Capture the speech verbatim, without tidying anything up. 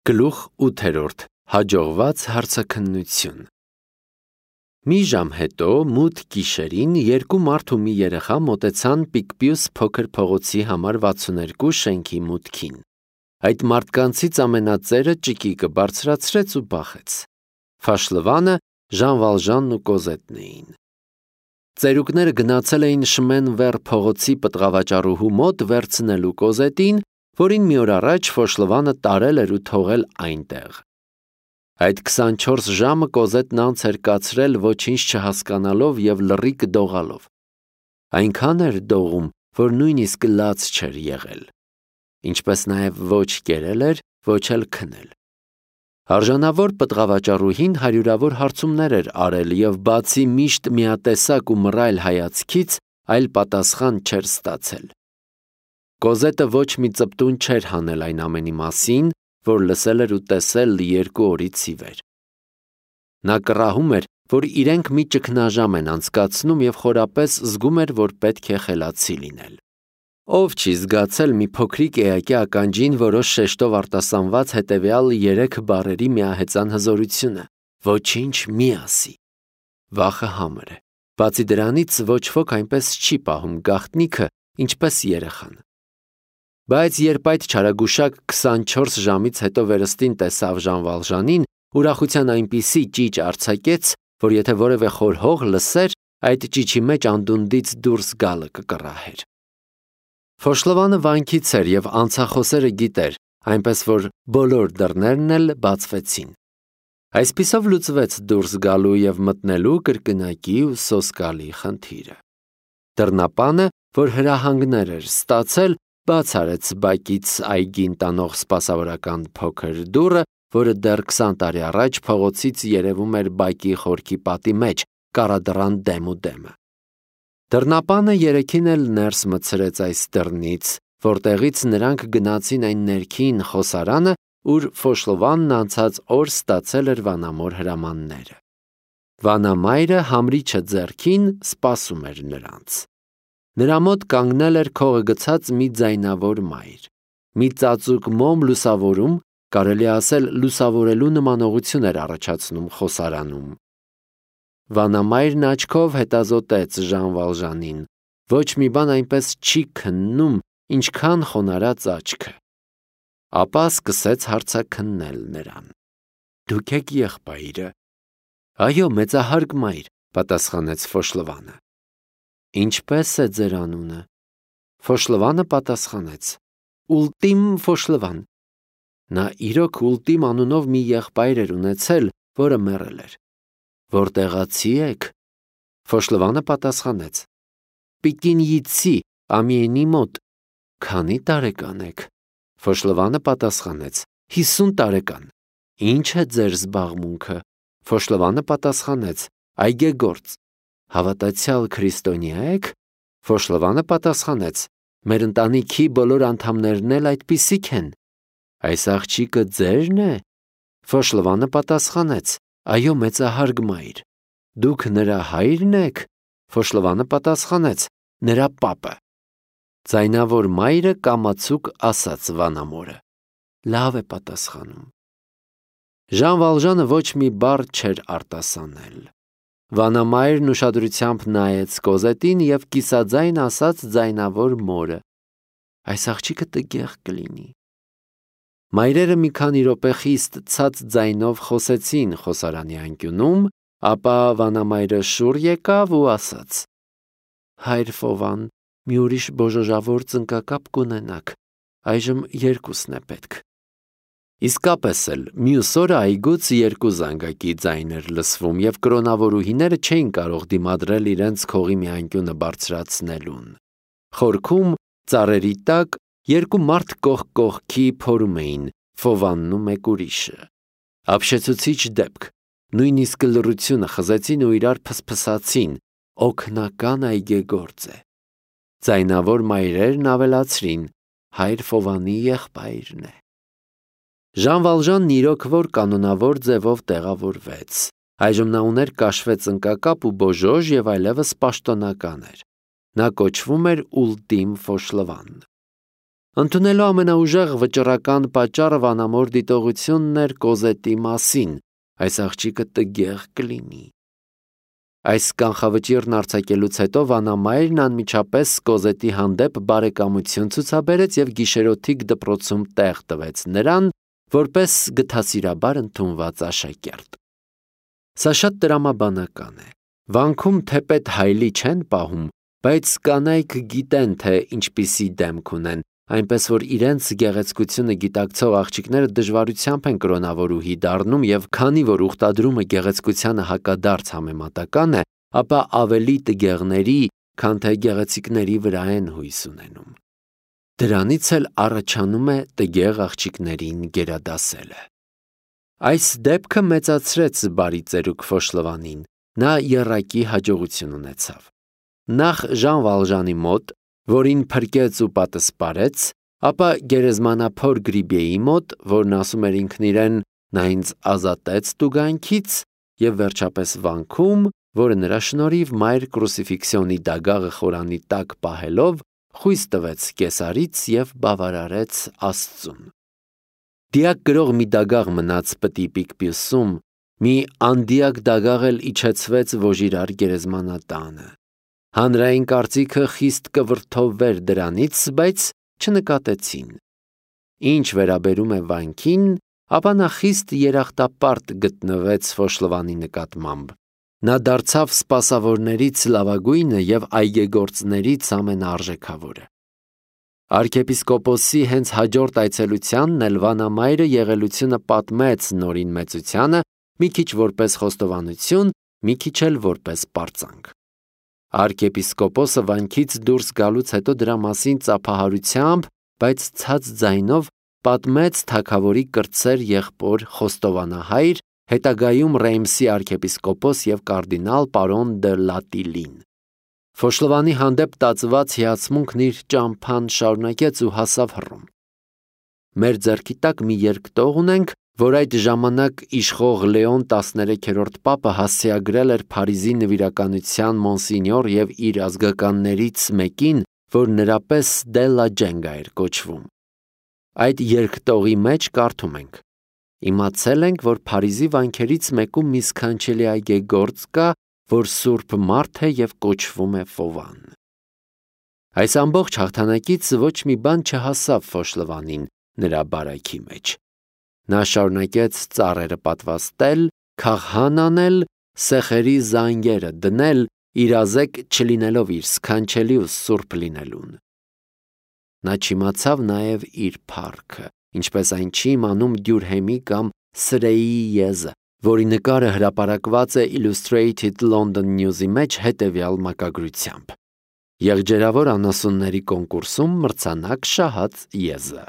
Գլուխ ութերորդ. Հաջողված հարցաքննություն։ Մի ժամ հետո, մութ գիշերին, երկու մարդ ու մի երեխա մոտեցան Պիկպիուս փոքր փողոցի համար վաթսուններկու շենքի մուտքին։ Այդ մարդկանցից ամենածերը ճկիկը բարձրացրեց ու բախեց։ Ֆաշլվանը, Ժան Վալժանն ու Կոզետն էին։ Ծերուկները գնացել էին Շմեն Վեր փողոցի պտղավաճառուհու մոտ վերցնելու Կոզետին, որին մի օր առաջ Ֆոշլվանը տարել էր ու թողել այնտեղ։ Այդ քսանչորս ժամը Կոզետն անց էր կացրել ոչինչ չհասկանալով և լռիկ դողալով։ Այնքան էր դողում, որ նույնիսկ լաց չէր եղել։ Ինչպես նաև ոչ կերել էր, ոչ էլ քնել։ Արժանավոր պտղավաճառուհին հարյուրավոր հարցումներ էր արել և բացի միշտ միատեսակ ու մռայլ հայացքից, այլ պատասխան չէր ստացել։ Կոզետը ոչ մի ծպտուն չէր հանել այն ամենի մասին, որ լսել էր ու տեսել երկու օրից ի վեր։ Նա կռահում էր, որ իրենք մի ճգնաժամ են անցկացնում և խորապես զգում էր, որ պետք է խելացի լինել։ Ով չի զգացել մի փոքրիկ էակի ականջին որոշ շեշտով արտասանված հետևյալ երեք բառերի միահեծան հզորությունը. ոչինչ մի ասի։ Վախը համր է։ Բացի դրանից ոչ ոք այնպես չի պահում գաղտնիքը, ինչպես երեխան։ Բայց երբ այդ չարագուշակ քսանչորս ժամից հետո վերստին տեսավ Ժան Վալժանին, ուրախության այնպիսի ճիչ արձակեց, որ եթե որևէ խոր հող լսեր, այդ ճիչի մեջ անդունդից դուրս գալը կկռահեր։ Ֆոշլվանը վանքից էր և անցախոսերը գիտեր, այնպես որ բոլոր դռներն էլ բացվեցին։ Այսպիսով լուծվեց դուրս գալու և մտնելու կրկնակի ու սոսկալի խնդիրը։ Դռնապանը, որ հրահանգներ էր ստացել, բաց արեց բակից այգին տանող սպասավորական փոքր դուռը, որը դեռ քսան տարի առաջ փողոցից երևում էր բակի խորքի պատի մեջ, կառադռան դեմ ու դեմը։ Դռնապանը երեքին էլ ներս մտցրեց այս դռնից, որտեղից նրանք գնացին այն ներքին խոսարանը, ուր Ֆոշլվանն անցած օր ստացել էր վանամոր հրամանները։ Վանամայրը համրիչը ձեռքին սպասում էր նրանց։ Նրա մոտ կանգնել էր քողը գցած մի ձայնավոր մայր։ Մի ծածուկ մոմ լուսավորում, կարելի ասել լուսավորելու նմանողություն էր առաջացնում խոսարանում։ Վանամայրն աչքով հետազոտեց Ժան Վալժանին։ Ոչ մի բան այնպես չի քննում, ինչքան խոնարհած աչքը։ Ապա սկսեց հարցաքննել նրան։ Դուք եք եղբայրը։ Այո, մեծահարգ մայր, պատասխանեց Ֆոշլվանը։ Ինչպե՞ս է ձեր անունը։ Ֆոշլվանը պատասխանեց. Ուլտիմ Ֆոշլվան։ Նա իրոք Ուլտիմ անունով մի եղբայր էր ունեցել, որը մեռել էր։ Որտեղացի եք։ Ֆոշլվանը պատասխանեց. Պիկինյիցի, Ամիենի մոտ։ Քանի տարեկան եք։ Ֆոշլվանը պատասխանեց. հիսուն տարեկան։ Ինչ է ձեր զբաղմունքը։ Ֆոշլվանը պատասխանեց. այգեգործ։ Հավատացյալ քրիստոնյա եք։ Ֆոշլվանը պատասխանեց. մեր ընտանիքի բոլոր անդամներն էլ այդպիսիք են։ Այս աղջիկը ձե՞րն է։ Ֆոշլվանը պատասխանեց. այո, մեծահարգ մայր։ Դուք նրա հայրն եք։ Ֆոշլվանը պատասխանեց. նրա պապը։ Ձայնավոր մայրը կամացուկ ասաց վանամորը. լավ է պատասխանում։ Ժան Վալժանը ոչ մի բառ չէր արտասանել։ Վանամայրն ուշադրությամբ նայեց Կոզետին և կիսաձայն ասաց ձայնավոր մորը. այս աղջիկը տգեղ կլինի։ Մայրերը մի քանի րոպե խիստ ցած ձայնով խոսեցին խոսարանի անկյունում, ապա վանամայրը շուռ եկավ ու ասաց. հայր Ֆովան, մի ուրիշ բոժոժավոր ծնկակապ կունենաք, այժմ երկուսն է պետք։ Իսկապես էլ, մյուս օրը այգուց երկու զանգակի ձայն էր լսվում և կրոնավորուհիները չէին կարող դիմադրել իրենց քողի մի անկյունը բարձրացնելուն։ Խորքում, ծառերի տակ, երկու մարդ կողք կողքի փորում էին, Ֆովանն ու մեկ ուրիշը։ Ապշեցուցիչ դեպք, նույնիսկ լռությունը խզեցին ու իրար փսփսացին, օգնական այգեգործ է։ Ձայնավոր մայրերն ավելացրին, հայր Ֆովանի եղբայրն է։ Ժան Վալժանն իրոք որ կանոնավոր ձևով տեղավորվեց։ Այժմ նա ուներ կաշվե ծնկակապ ու բոժոժ և այլևս պաշտոնական էր։ Նա կոչվում էր Ուլտիմ Ֆոշլվան։ Ընդունելու ամենաուժեղ վճռական պատճառը վանամոր դիտողությունն էր Կոզետի մասին, այս աղջիկը տգեղ կլինի։ Այս կանխավճիռն արձակելուց հետո վանամայրն անմիջապես Կոզետի հանդեպ բարեկամություն ցուցաբերեց և գիշերօթիկ դպրոցում տեղ տվեց նրան, որպես գթասիրաբար ընդունված աշակերտ։ Սա շատ տրամաբանական է։ Վանքում թեպետ հայլի չեն պահում, բայց կանայք գիտեն, թե ինչպիսի դեմք ունեն, այնպես որ իրենց գեղեցկությունը գիտակցող աղջիկները դժվարությամբ են կրոնավորուհի դառնում և քանի որ ուխտադրումը գեղեցկությանը հակադարձ համեմատական է, ապա ավելի տգեղների, քան թե գեղեցիկների վրա են հույս ունենում։ Դրանից էլ առաջանում է տգեղ աղջիկներին գերադասելը։ Այս դեպքը մեծացրեց բարի ծերուկ Ֆոշլովանին, նա եռակի հաջողություն ունեցավ։ Նախ Ժան Վալժանի մոտ, որին փրկեց ու պատսպարեց, ապա գերեզմանափոր Գրիբիեի մոտ, որն ասում էր ինքն իրեն նա ինձ ազատեց տուգանքից, և վերջապես վանքում, որը նրա շնորհիվ Մայր Կրուսիֆիքսիոնի դագաղը խորանի տակ պահելով, խույս տվեց կեսարից և բավարարեց Աստծուն։ Դիակ գրող մի դագաղ մնաց պտի Պիկպյուսում, մի անդիակ դագաղ էլ իջեցվեց Վոժիրար գերեզմանատանը։ Հանրային կարծիքը խիստ կվրդովվեր դրանից, բայց չնկատեցին։ Ինչ վերաբերում է վանքին, ապա նա խիստ երախտապարտ գտնվեց Ֆոշլովանի նկատմամբ։ Նա դարձավ սպասավորներից լավագույնը և այգեգործներից ամենաարժեքավորը։ Արքեպիսկոպոսի հենց հաջորդ այցելությանն էլ վանամայրը եղելությունը պատմեց Նորին մեծությանը, մի քիչ որպես խոստովանություն, մի քիչ էլ որպես պարծանք։ Արքեպիսկոպոսը վանքից դուրս գալուց հետո դրա մասին ծափահարությամբ, բայց ցած ձայնով պատմեց թագավորի կրտսեր եղբոր խոստովանահայր, հետագայում Ռեյմսի արքեպիսկոպոս և կարդինալ պարոն դը Լատիլին։ Ֆոշլովանի հանդեպ տածված հիացմունքն իր ճամփան շարունակեց ու հասավ Հռոմ։ Մեր ձեռքի տակ մի երկտող ունենք, որ այդ ժամանակ իշխող Լեոն տասներեքերորդ պապը հասցեագրել էր Փարիզի նվիրականության մոնսինյոր և իր ազգականներից մեկին, որ նրա պես դե լա Ջենգա էր կոչվում։ Այդ երկտողի մեջ կարդում ենք. «Իմացել ենք, որ Փարիզի վանքերից մեկում մի սքանչելի այգեգործ կա, որ սուրբ մարդ է և կոչվում է Ֆովան»։ Այս ամբողջ հաղթանակից ոչ մի բան չհասավ Ֆոշլովանին նրա բարայքի մեջ։ Նա շարունակեց ծառերը պատվաստել, քահան անել, սեխերի զանգերը դնել, իրազեկ չլինելով իր սքանչելի ու սուրբ լինելուն։ Նա չիմացավ նաև իր փառքը, ինչպես այն չի իմանում Դյուրհեմի կամ Սրեիի եզը, որի նկարը հրապարակված է Illustrated London News-ի մեջ հետևյալ մակագրությամբ. «Եղջերավոր անասունների կոնկուրսում մրցանակ շահած եզը»։